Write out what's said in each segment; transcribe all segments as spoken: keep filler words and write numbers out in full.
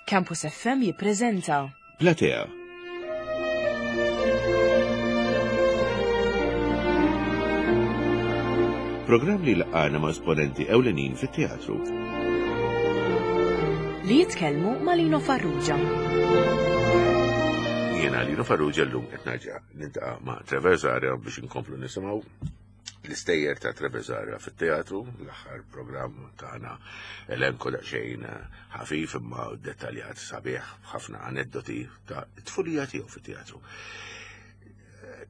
Campus F M jippreżenta Platea. Programm li laqana ma' esponenti ewlenin fit-teatru. Li jitkellmu ma' Lino Farrugia. Jiena Lino Farrugia, llum qed nerġa' niltaqa' ma' Trevor Zahra biex inkomplu nisimgħu l-istejjer ta' Trevor Zahra fit-teatru. L-aħħar programm tagħna elenko daqsxejn ħafif imma dettaljat sabiħ, ħafna aneddoti ta' tfulija tiegħu fit-teatru.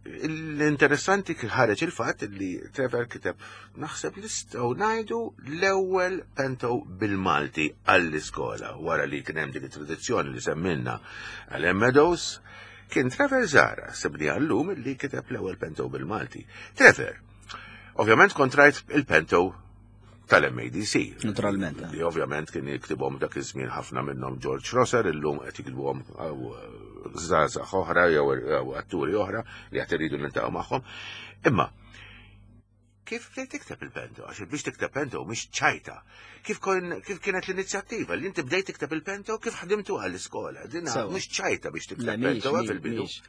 L-interessanti kien ħareġ il-fatt li Trevor kiteb, naħseb nistgħu ngħidu, l-ewwel pento bil-Malti għall-iskola wara li kien hemm dik it-tradizzjoni li semmilna għal Meadows. Kien Trevor Zahra, sibni għallum, li kiteb l-ewwel pento bil-Malti. Trevor, ovvjament kont rajt il-pento tal-M A D C. Naturalment. Li ovvjament kien jiktibhom dak iż-żmien ħafna minnhom George Rosser, illum qed jiktbuhom żgħażagħ oħra jew jew atturi oħra li qed iridu niltaqgħu magħhom. Imma kif bdejt tikteb il-pento? Għax biex tikteb pento mhix ċajta. Kif kon kif kienet l-inizjattiva li inti bdejt tikteb il-pento, kif ħdimtu għall-iskola? Dina Sewa. mhux ċajta biex Le, tikteb mhix, pento mhix, fil-bidu. mhix.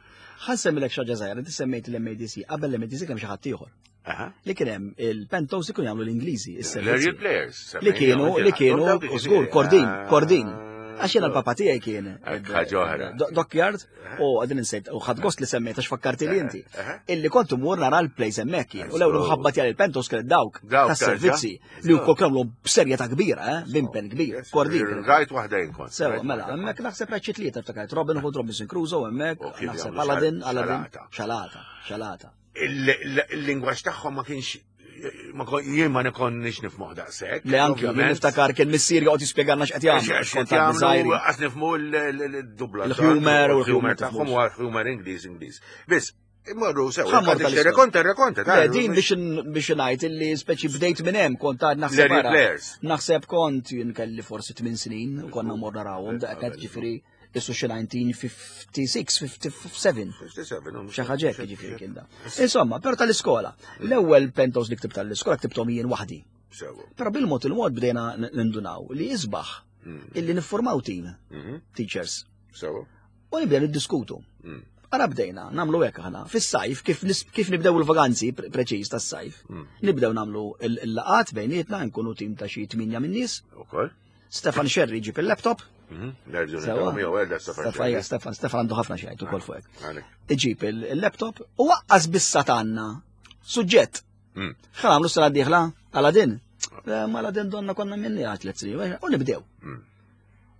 Ħa nsemmilek xi ħaġa żgħira, inti semmejt l-M A D C, qabel l-M A D C kemm xi ħadd ieħor. Aha. Li kien hemm il-pentos ikun jagħmlu l-Ingliżi, L-Ariel is-servizzi. Players. Li kienu, li kienu, u żgur, Kordin, Kordin. Għax jiena l-papa tiegħi kien Hekk, ħaġa oħra. Do- Dockyard, u għadin insejt, u ħadt gost li semmejt għax fakkarti li inti. Aha. Illi kont imur nara l-plays hemmhekk jien. U l-ewwel mħabba tiegħi il-pentos kienet dawk Dawk tas-servizzi li wkoll kienu b'serjetà kbira, eh, b'impenn kbir. Kordin. Rajt waħda jien kont. Sewa, Rajt mela, waħda. hemmhekk naħseb rajt xi tlieta, ftakart Robin Hood, Robinson Crusoe hemmhekk, U kif naħseb jagħmlu Aladdin, xal- Aladdin, xalata. Xalata, xalata. Il- il- Il-lingwaġġ tagħhom ma kienx ma kon- jien ma nikonniex nifhmuh daqshekk. Le, anki jien ovvjament. niftakar kien missier joqgħod jispjegalna x'qed jagħmlu. Għax Kont qed għadni jagħmlu żgħir. għax nifhmu l-dubla. Il-humor u il-humor l-humor tagħhom tifhmux. huwa humor Ingliż Ingliż. Biss, imorru sew. Ħa mmur tal-istorja. Rekonta, rekonta. Le, din biex biex ngħid illi speċi bdejt minn hemm, kont għad naħseb L-Ariel ara. Players. Naħseb kont jien kelli forsi tmien snin u konna mmur narawhom daqqa, ġifieri issu xi elf disa' mija u ħamsa u ħamsin, ħamsa u ħamsin. Xi ħaġa hekk ġifieri kien da. Insomma, però tal-iskola. L-ewwel pentos li ktibt tal-iskola ktibthom jien waħdi. Sewa. Però bil-mod il-mod bdejna nindunaw li isbaħ illi niffurmaw team, Mhm. teachers, Sewa. u nibdew niddiskutu. Mm. Ara bdejna, nagħmlu hekk aħna. Fis-sajf, kif, nis- kif nibdew il-vaganzi pre- preċiż tas-sajf, Mm. nibdew nagħmlu il- il-laqat bejnietna, nkunu tim ta' xi tminja minn nies. Ukoll. Stefan Sherry ġib il-laptop. Mhm. Nerġgħu Sewa. niltaqgħu miegħu għedha Stefan. Stefan, ija, Stefan, Stefan għandu ħafna xi jgħid ukoll fuq hekk. Għalek. Iġib il- il-laptop u waqqas bissa tanna suġġett. Mm. Ħa nagħmlu sena d-dieħla Aladdin. Eh, Ma Aladdin donna konna minni għat tliet snin, u nibdew. Mm.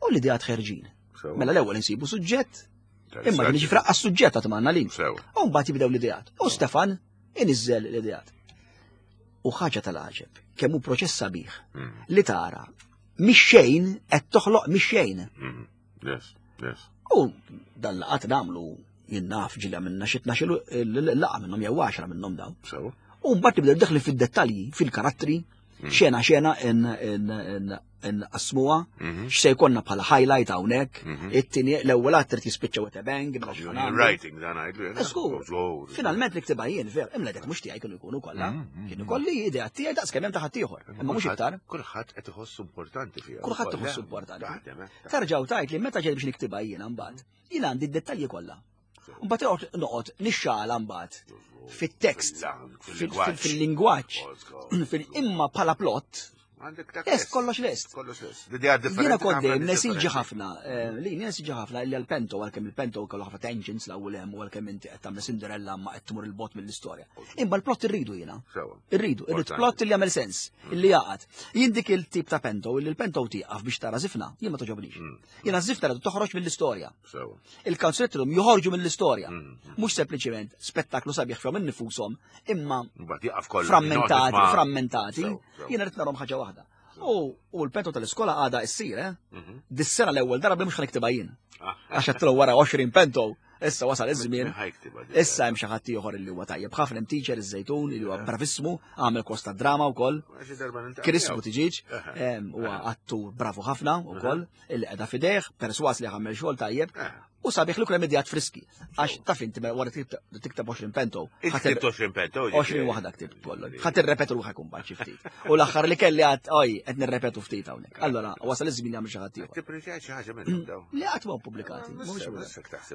U l-idea ħerġin. Sewa. Mela l-ewwel insibu suġġett, imma Tal-istaġ. din ġifra għas-suġġett għat manna lin. Sewa. U mbagħad jibdew l-ideat. U Stefan iniżżel l-ideat. U ħaġa tal-għaġeb, kemm hu proċess sabiħ Mm. li tara mix xejn qed toħloq mix xejn. Mm. Yes, yes. U dan laqat nagħmlu, jien naf ġilja minna xi tnax il-laqa minnhom jew għaxra minnhom dawn. Sewa. U mbagħad nibdew daħli fid-dettalji, fil-karattri, xena xena nqasmuha, Mhm. x'se jkollna bħala highlight hawnhekk, Mhm. it-tieni l-ewwel att trid jispiċċa with a bang, mela x'ħa nagħmlu. Writing dan għidlu. Żgur. Finalment niktibha jien, ver, imma dak mhux tiegħi kienu jkunu kollha. Mm, mm, Kienu kolli idea tiegħi daqs kemm hemm ta' ħaddieħor, imma mhux iktar. Kulħadd qed iħossu importanti fiha. Kulħadd ukoll, iħossu eh? importanti. Taħdem, eh? Tarġaw tajt li meta ġej biex niktibha jiena mbagħad, jiena għandi d-dettalji kollha. Mbagħad noqgħod noqgħod nixxala mbagħad fit-tekst, fil- fil-lingwaġġ, fil- imma bħala plot, Għandek dak lest, kollox lest. Kollox lest. L-idea differenti. Jiena kont dejjem ħafna nesiġi differenti. ħafna, eh, li nesiġi ħafna li għal-pento, għalkemm il-pento kellu ħafna tangents l-ewwel hemm u għalkemm inti qed tagħmel Cinderella ma qed tmur il-bot mill-istorja. Imma l-plot irridu jiena. Sewa. Irridu, irrid Importanti. plot li jagħmel sens, illi jaqgħad. Jien dik il-tip ta' pento, illi l-pento tieqaf biex tara żifna, jien ma toġobnix. Mm. Jiena żifna rridu toħroġ mill-istorja. Sewa. Il-kanzunetti joħorġu mill-istorja. Mm. Mhux sempliċiment spettaklu sabiħ fihom innifushom, imma Mbagħad jaqaf kollu. frammentati, Noqgħod frammentati. Sew, sew. Jiena rrid narhom ħaġa waħda. U u l-pento tal-iskola għada issir, eh? Mhm. Dis-sena l-ewwel darba mhux ħa niktibha jien. Ah. Għax għedtlu wara għoxrin pento, issa wasal iż-żmien. Ħa jiktibha di. Issa hemm xi ħadd ieħor li huwa tajjeb ħafna, hemm teacher iż-Żejtun li huwa bravissmu, għamel kors ta' drama wkoll. Xi darba niltaqa' Chris miegħu. Buttigieg, Aha. em, huwa attur bravu ħafna wkoll, illi qiegħda fidejh, perswas li għamel xogħol tajjeb, Eh. U sabiħ li kull immedjat friski. Għax taf inti wara tikteb għoxrin pento. Ktibt għoxrin pento. għoxrin waħda ktibt kollu. Ħa tirrepetu ruħek imbagħad xi ftit. U l-aħħar li kelli għad oj qed nirrepetu ftit hawnhekk. Allora wasal iż-żmien jagħmel xi ħadd ieħor. Tipprintjajt xi ħaġa minnhom daw. Li qatt ma pubblikati.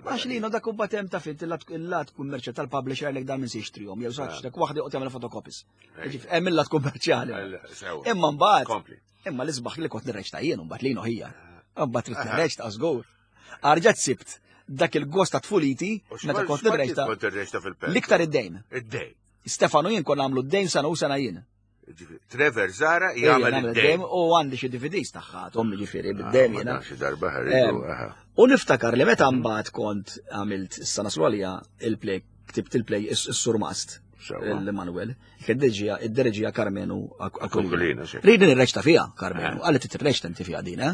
Għax li dak imbagħad hemm taf inti il-lat kummerċjali tal-publisher li dan minn se jixtrihom jew sax dak waħda joqgħod jagħmel fotocopies. Hemm il-lat kummerċjali. Imma mbagħad imma l-isbaħ li kont nirreċta jien mbagħad li ħija. Mbagħad trid nirreċta żgur. Arġat sibt dak il-gost ta' tfuliti meta kont nirreċta. L-iktar id-dejn. Id-dejn. Stefano jien konna għamlu d-dejn sana u sena jien. Trevor Zara jagħmel id-dejn. U għandi xi D V Ds tagħha, tommi ġifieri bid-dejn jiena. Xi darba ħarridu. U niftakar li meta mbagħad kont għamilt issa naslu għalija il-play, ktibt il-play is-Surmast. L-Emanuel, id-dereġija Karmenu Aquilina. Ridi nirreċta fija, Karmenu, għalli titirreċta inti fija din, eh?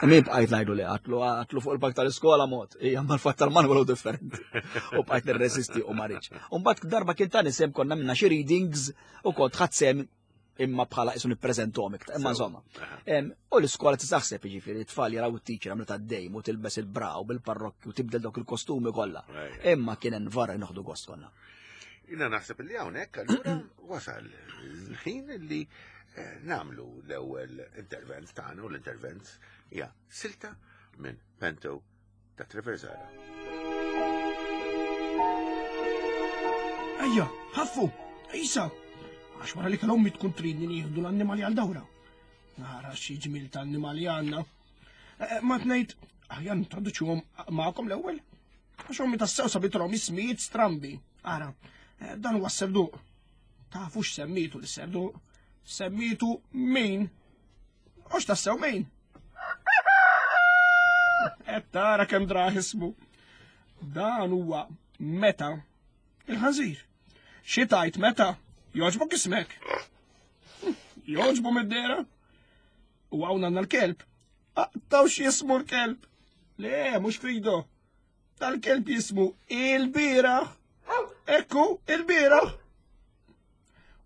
Min bqajt ngħidu li għatlu għatlu fuq il-pak tal-iskola mod, hija mal-fatt tal-Manuel u differenti. U bqajt nirreżisti u ma rridx. U mbagħad darba kien tani sem konna minna xi readings u kont ħadd sem imma bħala isu nippreżentom iktar, imma insomma. U l-iskola tisaħseb jiġifieri t-tfal jaraw it-teacher għamlet għaddejm u tilbes il-braw bil-parrokki u tibdel dawk il-kostumi kollha. Imma kien hemm varra noħdu gost konna. Jina naħseb li hawnhekk allura wasal il-ħin li namlu l-ewwel intervent tagħna u l-intervent hija silta minn Pento ta' Trevor Zara. Ejja, ħaffu, isa, għax wara li kellhom tkun tridni nieħdu l-annimali għal dawra. Nara xi ġmil ta' annimali għandna. Ma tnejt, aħjar nintroduċuhom magħkom l-ewwel. Għax ommi tassew sabitrhom ismijiet strambi. Ara, dan huwa s-serduq. Tafu x'semmitu l-serduq? Semmitu min? Għax tassew min? Qed tara kemm draħ ismu. Dan huwa meta il-ħanżir. Xi tajt meta? Joġbok ismek. Joġbu mid-dera. U hawn għandna l-kelb. Aqtaw x'jismu l-kelb. Le, mhux Fido. Tal-kelb jismu il-bieraħ. Ekku, il-bieraħ.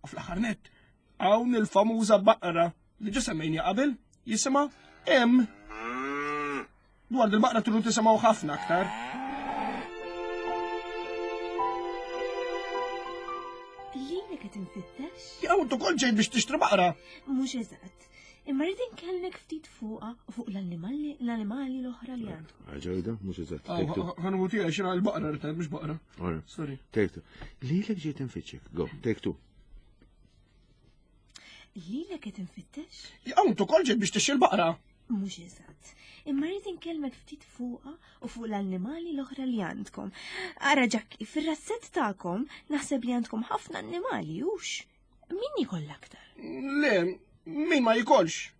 U fl-aħħar nett, hawn il-famuża baqra li ġa semmejni qabel jisimha M. Dwar il-baqra tridu tisimgħu ħafna aktar. Lilek qed infittex? Jew int ukoll ġejt biex tixtri baqra. Mhux eżatt. Imma rrid inkellmek ftit fuqha u fuq l-annimali l-annimali l-oħra li għandkom. Ġejda, mhux eżatt. Ħanħu tiegħi xi l-baqra rrid mhux baqra. Sorry. Take two. Lilek ġejt infittxek. Go, take two. Lilek qed infittex? Jew int ukoll ġejt biex tixtri l-baqra. Mhux eżatt. Imma rrid inkellmek ftit fuqha u fuq l-annimali l-oħra li għandkom. Ara Ġakki, fir-razzett tagħkom naħseb li għandkom ħafna annimali, hux? Min jkoll aktar? Le, min ma jkollx?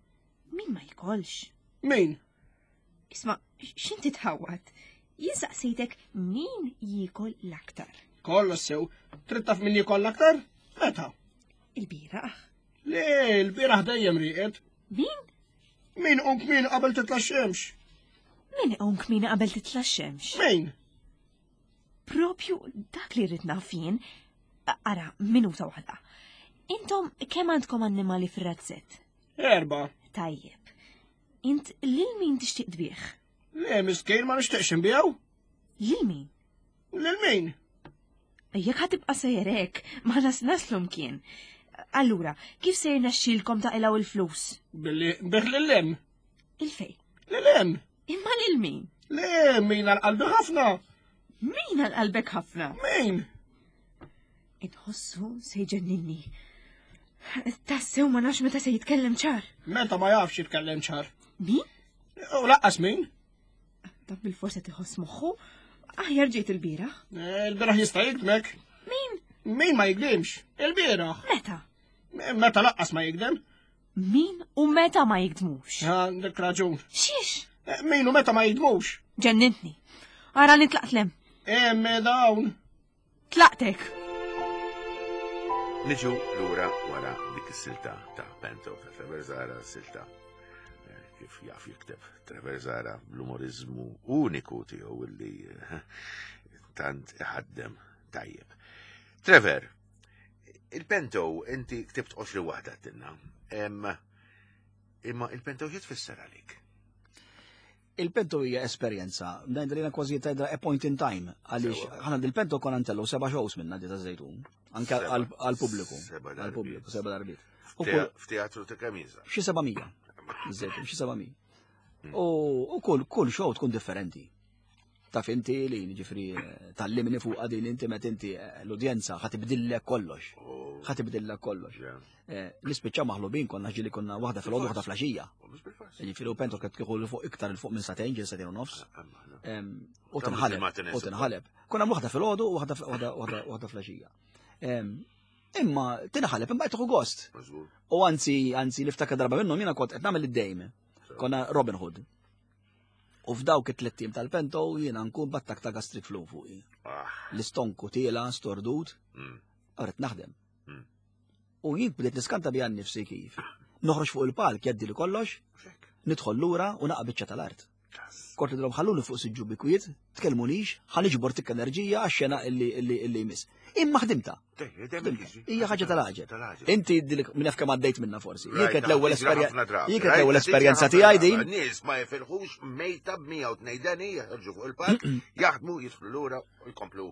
Min ma jkollx? Min? Isma', x'inti tħawwad? Jien saqsejtek min jiekol l-aktar. Kollox sew, trid taf min jiekol l-aktar? Meta? Il-bieraħ. Le, il-bieraħ dejjem rieqed. Min? Min qum kmin qabel titla' x-xemx? Min qum kmin qabel titla' x-xemx? Min? Propju dak li rrid naf jien. Ara, minuta waħda. Intom kemm għandkom annimali fir-razzett? Erba. Tajjeb. Int lil min tixtieq tbieħ? Le, miskin ma nixtieqx inbiegħu. Lil min? Lil min? Jekk ħa tibqa' sejjer hekk, ma nas naslu mkien. Allura, kif se jirnexxielkom taqilgħu il-flus? Billi nbih lil hemm. Il-fejn? Lil hemm. Imma lil min? Le, min għal qalbi ħafna. Min għal qalbek ħafna? Min? Inħossu se jġenninni. Tassew ma nafx meta se jitkellem ċar. Meta ma jafx jitkellem ċar. Min? U laqqas min? Dan bil-forsa tiħoss moħħu. Aħjar ġejt il-bieraħ. Il-bieraħ jista' jikdmek. Min? Min ma jikdimx? Il-bieraħ. Meta? Meta laqqas ma jikdem. Min u meta ma jikdmux? Għandek raġun. Xiex? Min u meta ma jikdmux? Ġennintni. Ara nitlaqt lem. Hemm dawn. Tlaqtek. Niġu lura wara dik is-silta ta' Pento ta' Trevor Zara, silta kif jaf jikteb Trevor Zara bl-umorizmu uniku tiegħu illi tant iħaddem tajjeb. Trevor, il-Pento inti ktibt għoxrin waħda tinna. Imma il-Pento xi tfisser għalik? Il-pento hija esperjenza, ngħidha li kważi tgħidha a point in time, għaliex ħana dil-pento konna ntellu seba' shows minna di ta' Żejtun, anke għall-pubbliku. Għall-pubbliku, seba' darbiet. F'teatru ta' kemm jinsa? Xi seba' mija. Żejtun, xi seba' mija. U kull kull show tkun differenti. Taf inti li ġifri tallimni fuq din inti met inti l-udjenza ħa tibdillek kollox. Ħa tibdillek kollox. Nispiċċaw maħlubin konna ġili konna waħda fil-għodu waħda flaxija. Ġifiri u pento kien kieku fuq iktar il fuq minn sagħtejn ġil sagħtejn u nofs. U tinħaleb. U tinħaleb. Konna waħda fil-għodu u waħda flaxija. Imma tinħaleb imma tieħu gost. U anzi, anzi niftakar darba minnhom jiena kont qed nagħmel id-dejm. Konna Robin Hood. U f'dawk it-tliet tim tal-pento jiena nkun battak ta' gastric flu fuqi. L-istonku tiela, stordut, għaret naħdem. U jien bdejt niskanta bija nnifsi kif. Noħroġ fuq il-palk jgħaddi li kollox, nidħol lura u naqa' biċċa tal-art. Kont nidhom ħalluni fuq siġġu bi kwiet, tkellmunix, ħa niġbor tikka enerġija għax-xena illi illi jmiss. Imma ħdimta. Hija ħaġa tal-għaġeb. Inti minn naf kemm għaddejt minna forsi. Jien kienet l-ewwel esperjenza esperjenza tiegħi din. Nies ma jifilħux mejta b'mija u tnejn deni jaħarġu fuq il-palk, jaħdmu, jidħlu lura u jkomplu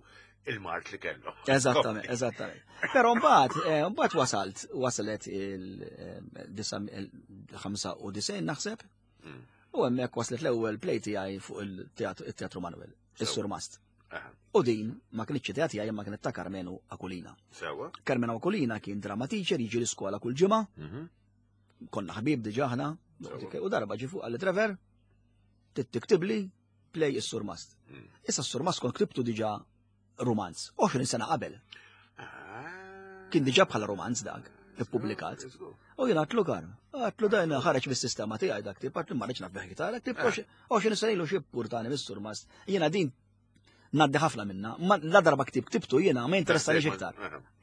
il-mart li kellu. Eżattament, eżattament. Però mbagħad, mbagħad wasalt, wasalet il-ħamsa u disgħin naħseb. U hemmhekk waslet l-ewwel play tiegħi fuq il-Teatru Manuel, is-Surmast. U din ma kienx idea tiegħi imma kienet ta' Karmenu Aquilina. Sewa. Karmenu Aquilina kien drama teacher jiġi l-iskola kull ġimgħa. Konna ħbib diġà aħna. U darba ġi fuq għal Trevor, tiktibli play is-Surmast. Issa s-Surmast kont ktibtu diġà romanz, għoxrin sena qabel. Kien diġà bħala romanz dak, ippubblikat. U jien għatlu kar, għatlu dajna ħareġ mis-sistema tiegħi dak tip, għatlu ma rridx naf biħ dak tip, għoxrin sena ilu xi purtani mis-Surmast. Jiena din ngħaddi ħafna minna, la darba ktib ktibtu jiena ma jinteressanix iktar.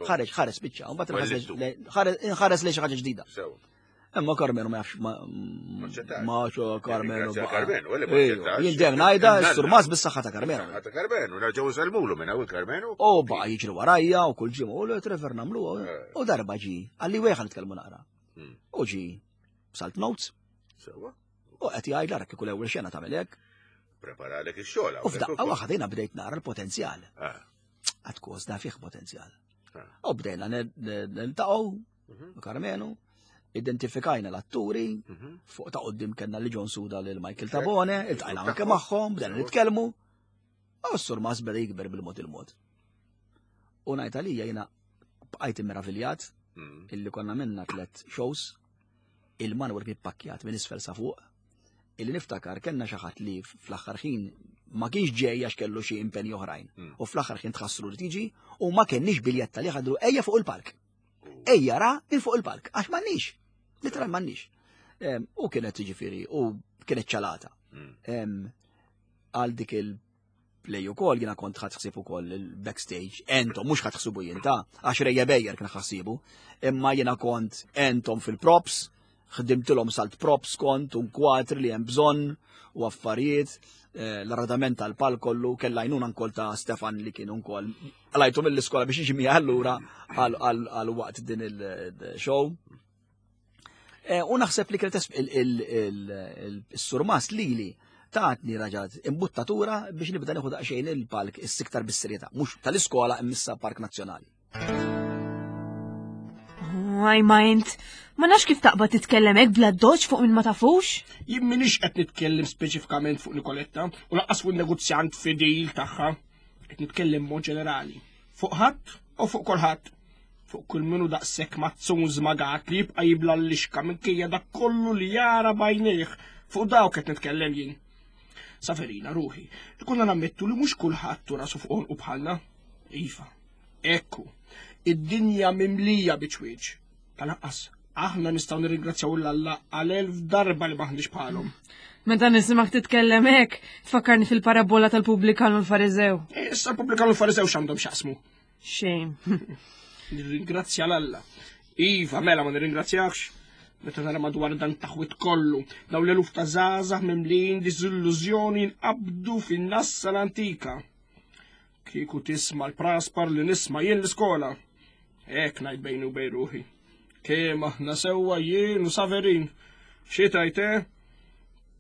Ħareġ, ħareġ spiċċa, u mbagħad inħares lejn xi ħaġa ġdida. Imma Karmenu ma jafx ma Karmenu. Jien dejjem ngħidha s-Surmast bis-saħħa ta' Karmenu. Ta' Karmenu, nerġgħu nsellmulu minn hawn Karmenu. U baqa' jiġri warajja u kull ġimgħa u Trevor nagħmluha u darba ġi, għalli wejħa nitkellmu naqra. U ġi salt notes. Sewa. U qed jgħid ara kieku l-ewwel xena tagħmel hekk. Preparalek ix-xogħol. U f'daqqa waħda jiena bdejt nara l-potenzjal. Għad kos da fih potenzjal. U bdejna niltaqgħu Karmenu. Identifikajna l-atturi, fuq ta' qoddim kellna li John Suda lil Michael Tabone, iltqajna anke magħhom, bdejna nitkellmu. U s-Surmast beda jikber bil-mod il-mod. U ngħid għalija jiena bqajt immeraviljat illi konna minna tliet shows, il-Manuel kien pakkjat minn isfel sa fuq, illi niftakar kellna xi ħadd li fl-aħħar ħin ma kienx ġej għax kellu xi impenji oħrajn. U fl-aħħar ħin tħassru li tiġi u ma kenniex biljetta li ħadru ejja fuq il-palk. Ejja ra minn fuq il-palk, għax m'għandniex. Literal m'għandniex. U kienet ġifieri, u kienet ċalata. Għal dik il-play ukoll jiena kont ħadd ħsieb ukoll il-backstage, entom mhux ħadd ħsibu jien ta' għax Rejja Bejjer kien ħassibu, imma jiena kont entom fil-props, ħdimtilhom salt props kont u kwatri li hemm bżonn u affarijiet, l-arradament tal-palk kollu, kellha għajnuna nkoll ta' Stefan li kien ukoll għalajtu mill-iskola biex jiġi miegħi allura għal waqt din il-show. U naħseb li kienet il-Surmast lili tatni raġat imbuttatura biex nibda nieħu daqsxejn il-palk is-siktar bis-serjetà, mhux tal-iskola immissa Park Nazzjonali. Għaj ma int, ma nafx kif taqbad titkellem hekk bla doġ fuq min ma tafux? Jien m'iniex qed nitkellem speċifikament fuq Nikoletta u lanqas fuq in-negozjant fidil tagħha. Qed nitkellem mod ġenerali. Fuq ħadd u fuq kulħadd. Fuq kull minu daqshekk mazzun żmagat li jibqa' jibla l-lixka minkejja dak kollu li jara bajnejh. Fuq dawk qed nitkellem jien. Saverina ruħi, ikonna nammettu li mhux kulħadd rasu fuq u bħalna. Iva, ekku, id-dinja mimlija biċwieġ. Tal-anqas, aħna nistgħu nirringrazzjaw 'l Alla għal elf darba li maħniex bħalhom. Meta nismak titkellem hekk, tfakkarni fil-parabola tal-pubblikan u l-Fariżew. Issa l-pubblikan u l-Fariżew x'għandhom x'jaqsmu? Xejn. Nirringrazzja 'l Alla. Iva, mela ma nirringrazzjakx. Meta nara madwar dan taħwit kollu, daw l-eluf ta' żgħażagħ mimlin diżillużjoni nqabdu fin-nassa l-antika. Kieku tisma' l-praspar li nisma' jien l-iskola. Hekk ngħid bejni u bejn ruħi. Kemm aħna sewwa jien u Saverin. Xi tajt, eh?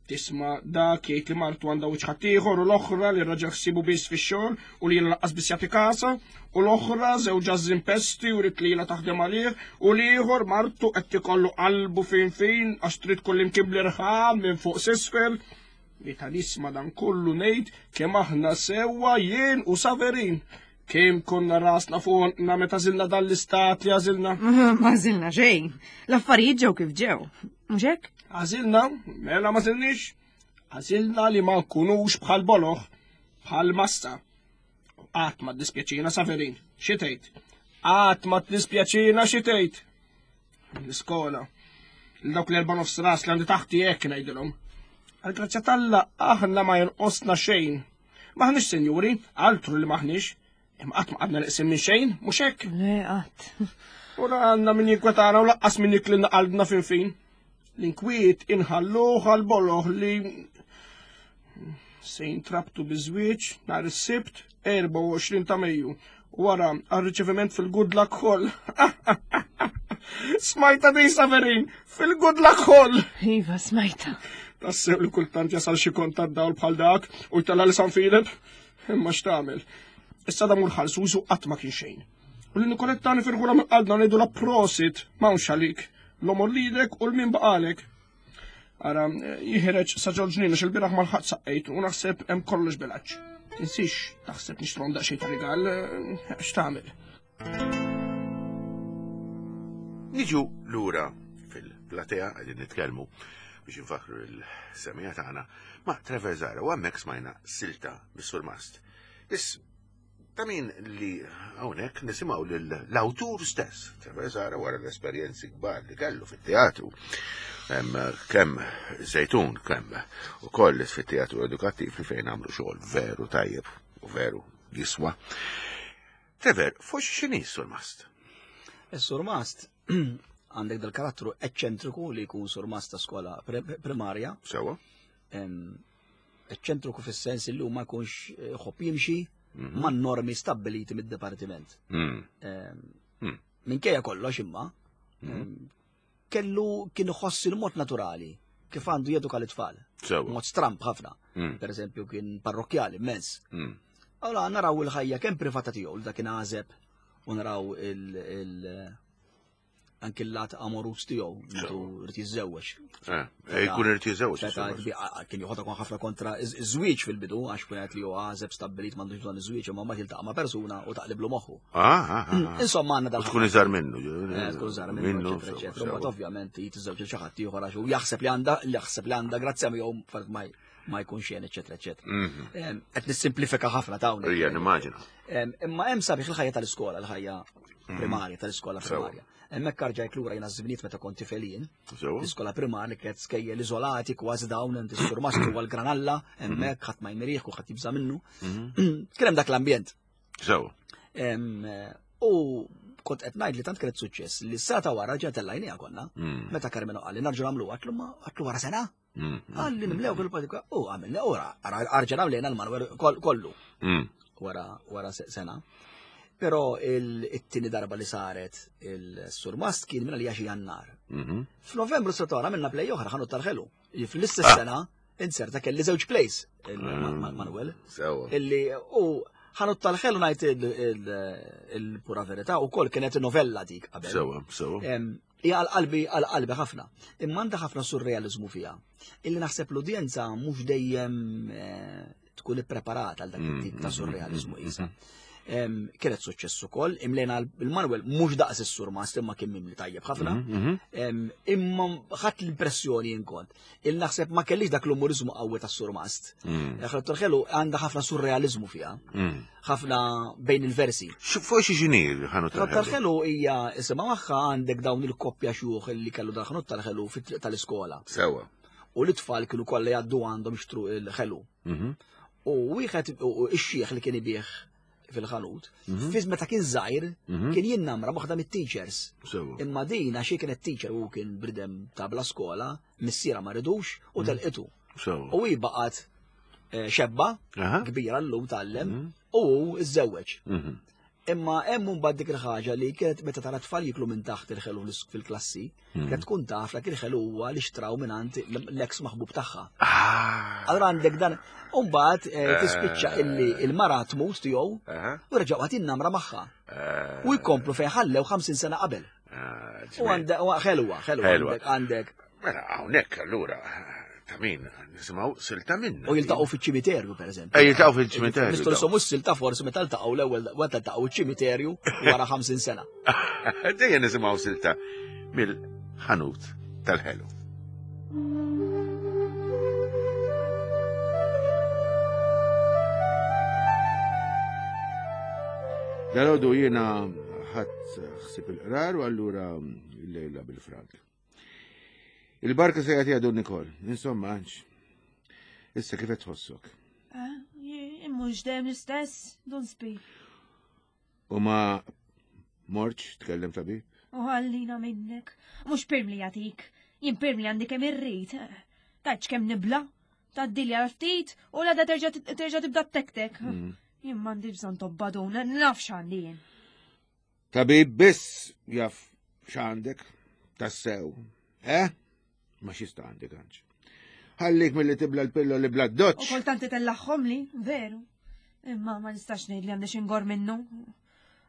Tisma' dak jgħid li martu għandha wiċċ ħaddieħor u l-oħra li raġel ħsibu biss fix-xogħol u li jiena laqqas biss jagħti kasa u l-oħra żewġha żimpesti u rid lilha taħdem għalih u l-ieħor martu qed tikollu qalbu fin fin għax trid kullimkien bl-irħam minn fuq s'isfel. Meta nisma' dan kollu ngħid kemm aħna sewwa jien u Saverin. Kemm konna rasna fuqna meta żilna dan l-istat li għażilna. Ma żilna xejn. L-affarijiet ġew kif ġew. Mhux hekk? Għażilna, mela ma żilniex. Għażilna li ma nkunux bħal boloħ, bħal massa. Qatt ma ddispjaċina Saverin, xi tgħid? Qatt ma ddispjaċina xi tgħid? L-iskola. L dawk l-erba' nofs ras li għandi taħti hekk ngħidilhom. Għal-grazzja t'Alla aħna ma jonqosna xejn. Maħniex senjuri, altru li maħniex. Imma qatt ma qgħadna neqsin minn xejn, mhux hekk? Le, qatt. U la għandna min jinkwetana u laqqas min jiklilna qalbna fin fin. L-inkwiet inħalluh għal-boloħ li se jintrabtu biż-żwieġ nhar is-Sibt erbgħa u għoxrin ta' Mejju wara għar-riċeviment fil-Good Luck Hall. Smajta di Saverin, fil-Good Luck Hall. Iva, smajta. Tassew li kultant jasal xi kont tad-dawl bħal dak u jtella' li San Filip. Imma x'tagħmel? Issa da mur ħalsu użu qatt ma kien xejn. U li Nikoletta nifirħula minn qalbna ngħidu la prosit, m'hawnx għalik. L-omor lilek u l-min baqalek. Ara, jiħreġ sa ġol ġnien għax il-bieraħ ma lħaqt saqqejt u naħseb hemm kollox bilaċ. Tinsix taħseb nixtru daqsxejn ta' rigal, x'tagħmel? Niġu lura fil-platea qegħdin nitkellmu biex infakru l-semija tagħna ma' Trevor Zahra u hemmhekk smajna silta mis-Surmast. Is ta' min li hawnhekk nisimgħu lill-awtur stess, Trevor Zahra, wara l-esperjenzi kbar li kellu fit-teatru. Kemm Żejtun, kemm ukoll fit-teatru edukattiv li fejn għamlu xogħol veru tajjeb u veru jiswa. Trevor, fuq x'inhi s-Surmast? Is-Surmast għandek dal-karattru eċċentriku li jkun surmast ta' skola primarja. Sewa. Eċċentriku fis-sens li ma jkunx ħobb jimxi ma' normi stabbiliti mid-dipartiment. Minkejja kollox imma, kellu kien iħoss il-mod naturali kif għandu jeduka l-itfal. Mod stramp ħafna. Per eżempju kien parrokkjali immens. Allora naraw il-ħajja kemm privata tiegħu li dak kien għażeb u naraw il- anki l-lat amorus tiegħu meta rid jiżżewweġ. Eh, jkun irid jiżżewweġ. Kien joħodha kon ħafna kontra iż-żwieġ fil-bidu għax kien qed li hu għażeb stabbilit m'għandux bżonn iż-żwieġ imma mbagħad jiltaqa' ma' persuna u taqliblu moħħu. Ah, ah, ah. Insomma għandna dal. Tkun iżgħar minnu. Tkun iżgħar minnu, eċetera, eċetera. Mbagħad ovvjament jitiżżewġ xi ħadd ieħor għax hu jaħseb li għandha jaħseb li għandha grazzja miegħu ma ma jkun xejn, eċetera, eċetera. Qed nissimplifika ħafna ta' hawnhekk. Ejja, nimmaġina. Imma hemm sabiħ il-ħajja tal-iskola, il-ħajja primarja tal-iskola primarja. Hemmhekk arġajt lura jiena żminiet meta kont tifel jien. L-iskola primarja li kienet skejjel iżolati kważi dawn inti s-surmastru għal granalla, hemmhekk ħadd ma jmirih u ħadd jibża' minnu. Kien hemm dak l-ambjent. Sew. U kont qed ngħid li tant kienet suċċess li s-sena ta' wara ġew tellajniha konna. Meta Carmelo qal li narġu nagħmlu għatlu ma għatlu wara sena. Għalli nimlew fil-patika u għamilna ora arġa nagħmlejna l-Manuel kollu. Wara wara sena. Però it-tieni darba li saret il-Surmast kien minna li xi Jannar. F'Novembru s sena minna play oħra ħanut tal-ħelu. Fl-istess sena inserta kelli żewġ plays il-Manuel. Illi u ħanut tal-ħelu ngħid il-pura verità u kol kienet novella dik qabel. Sewa, sewa. Hija għal-qalbi għal-qalbi ħafna. Imma għandha ħafna surrealizmu fiha. Illi naħseb l-udjenza mhux dejjem tkun ippreparata għal dak it-tip ta' surrealizmu qisha. Kienet suċċess ukoll, imlejna il-Manuel mhux daqs is-Surmast imma kien mimli tajjeb ħafna. Imma ħadd l-impressjoni jien kont. Il naħseb ma kellix dak l-umorizmu qawwi tas-Surmast. Ħadd ħelu għandha ħafna surrealizmu fiha. Ħafna bejn il-versi. Fuq xi xini ħanut tal-ħelu? Tal-ħelu hija isimha magħha għandek dawn il-koppja xjuħ li kellu dal-ħanut tal-ħelu fit-triq tal-iskola. Sewa. U l-itfal kienu kollha jgħaddu għandhom jixtru il-ħelu. U wieħed ix-xieħ li kien ibih fil-ħanut, fiż meta kien żgħir kien jinnamra waħda mit-teachers. Imma din għax kienet teacher u kien bridem ta' bla skola, missiera ma ridux u telqitu. U hi baqgħet xebba kbira llum tgħallem u hu iżżewweġ. Imma hemm mbagħad dik il-ħaġa li kienet meta tara tfal jiklu minn taħt il-ħelu fil-klassi, Hmm. kienet tkun taf dak il-ħelu huwa li xtraw mingħand l-eks maħbub tagħha. Ah. Allura għandek dan, u mbagħad eh, tispiċċa illi il-mara tmut tiegħu Aha. u reġgħu għad innamra magħha. Ah. U jkomplu fejn ħallew ħamsin sena qabel. Ah, U ġmiel. għandek, u ħelwa, ħelwa, Ħelwa. għandek, għandek. Mela, hawnhekk allura ta' min nisimgħu silta minna. U jiltaqgħu fiċ-ċimiterju, per eżempju. Eh, jiltaqgħu fiċ-ċimiterju, Nistgħu daw. nisomu s-silta forsi meta ltaqgħu l-ewwel meta ltaqgħu ċ-ċimiterju wara ħamsin sena. Dejjem nisimgħu silta mill-ħanut tal-ħelu. Dalodu jiena ħadd ħsib il-qrar u allura l-lejla bil-frank. Il-barka se jagħtiha Dun Nikol. Insomma, Anġ. Issa kif qed tħossok? Mhux dejjem l-istess, Dun Spir. U ma morċ tkellem tabib? U ħallina minnek. Mhux pirmli jagħtik. Jien pirmli għandi kemm irrid. Taċ kemm nibla. Taddili għal ftit u l terġa' terġa' tibda tektek. Mm. Jien m'għandi bżonn tobba dun, naf x'għandi jien. Tabib biss jaf x'għandek tassew. Eh? Ma xista għandek għanġ. Ħallik mill-li tibla l-pillo li bla U doċ. kultant itellaħħom li, veru. Imma ma nistax ngħid li għandi xi ngor minnu.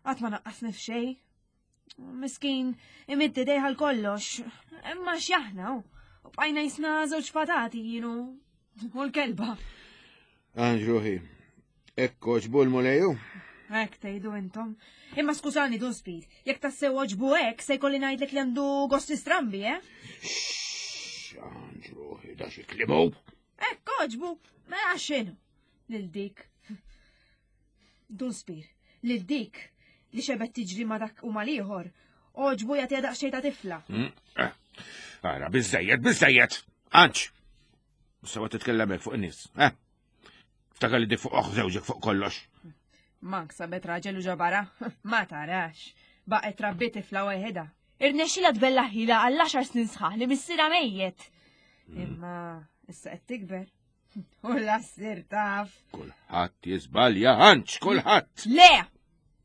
Qatt ma naqqasni f'xejn. Miskin, imiddi dejħal kollox. Imma x'jaħna u bqajna jisna żewġ patati jienu. U l-kelba. Anġ ruħi, ekko ġbu l-muleju? Hekk tgħidu intom. Imma skużani Dun Speed, jekk tassew oġbu hekk se jkolli ngħidlek li għandu gosti strambi, eh? Anġ ruħi, da xi klimu. Hekk oġbu, mela x'inhu? Lil dik. Dun Spir, lil dik li xebet tiġri ma dak u mal-ieħor. Oġbu jagħtiha daqsxejn ta' tifla. Mm, eh. Ara, biżejjed, biżejjed. Anġ! Sewa titkellem hekk fuq in-nies, eh? Ftakar li dik fuq oħ żewġek fuq kollox. Mank sabet raġel u ġabara, ma tarax. Baqet rabbi tifla waħedha. Irnexxila tbella ħila għall għaxar snin sħaħ li missierha mejjet. Imma issa qed tikber. U la ssir taf. Kulħadd jiżbalja, Anġ, kulħadd. Le!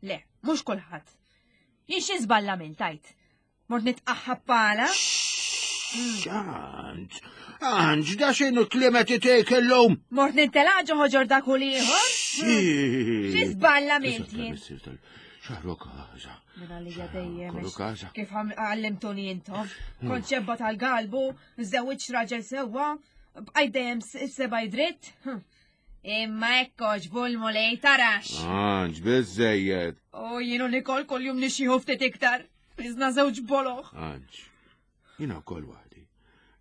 Le, mhux kulħadd. Jien xi żballa minn tajt. Mort nitqaħħab pala. Anġ, Anġ, da x'inhu klimet itejk illum? Mort nintelaq ġo ħoġor dak u l-ieħor. Xi żballa milt jien. Xarru kaza. Min għalija dejjem. Kollu għax kaza. Kif għam- għallimtuni intom. Kont xebba tal-galbu, żewġ raġel sewwa, bqajt dejjem s- seba' dritt. Hm. Imma hekk oġbu l-mulej tarax. Anġ, biżejjed. U jienu Nikol kuljum nixjieħu ftit iktar. Iżna żewġ boloħ. Anġ, jina wkoll waħdi.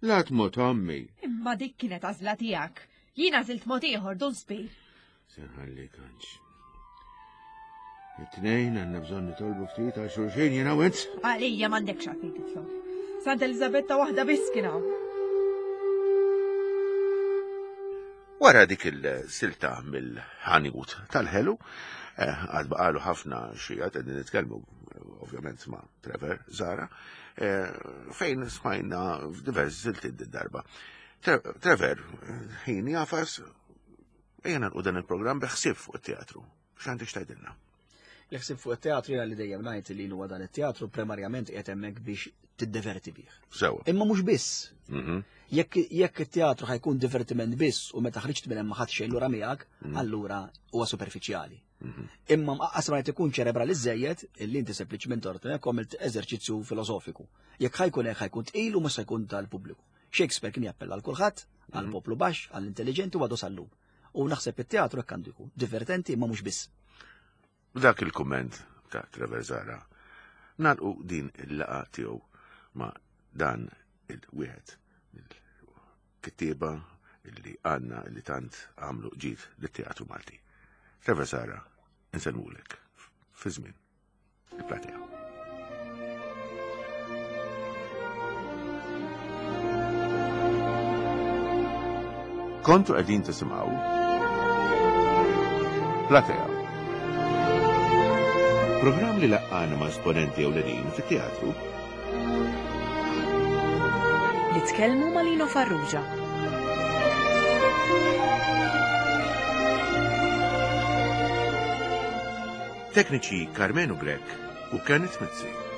La tmut ommi. Imma dik kienet għażla tiegħek. Jiena għażilt mod ieħor Dun Spir. Se nħallik, Anġ. It-tnejn għandna bżonn nitolbu ftit għal xulxin jiena u int. Għalija m'għandekx għalfejn titlob. Santa Elizabetta waħda biss kien hawn. Wara dik il-silta mill-ħanut tal-ħelu, eh, għad baqalu ħafna xijat, qegħdin nitkellmu eh, ovvjament ma' Trevor Zara, eh, fejn smajna f'diversi silti d-darba. Tre- Trevor, eh, ħin jafas, ejja nagħlqu dan il-programm beħsieb fuq it-teatru. X'għandek x'tgħidilna? L-ħsieb fuq it-teatru jiena li dejjem ngħid li huwa dan it-teatru primarjament qiegħed hemmhekk biex tiddeverti bih. Sewa. Imma mhux biss. Mhm. Jekk jekk it-teatru ħajkun divertiment biss u meta ħriġt minn hemm ma ħadd xejn lura miegħek, allura huwa superfiċjali. Imma mqaqqas ma jrid ikun ċerebrali żejjed illi inti sempliċement tort hekk għamilt eżerċizzju filosofiku. Jekk ħajkun hekk ħajkun tqil u mhux se jkun tal-pubbliku. Shakespeare kien jappella għal kulħadd, għal poplu baxx, għall intelligenti u għadu sal-lum. U naħseb it-teatru hekk għandu jkun divertenti imma mhux biss. B'dak il-kumment ta' Trevor Zara, nalqu din il-laqa tiegħu ma' dan il-wieħed mill-kittieba illi għandna illi tant għamlu ġid lit-teatru Malti. Trevor Zara, insellmulek fi żmien il-platea. Kontu qegħdin tisimgħu Platea. Programm li laqqana ma' esponenti ewlenin fit-teatru Li tkellmu ma' Lino Farrugia. Tekniċi Karmenu Grech u Kenneth Mizzi.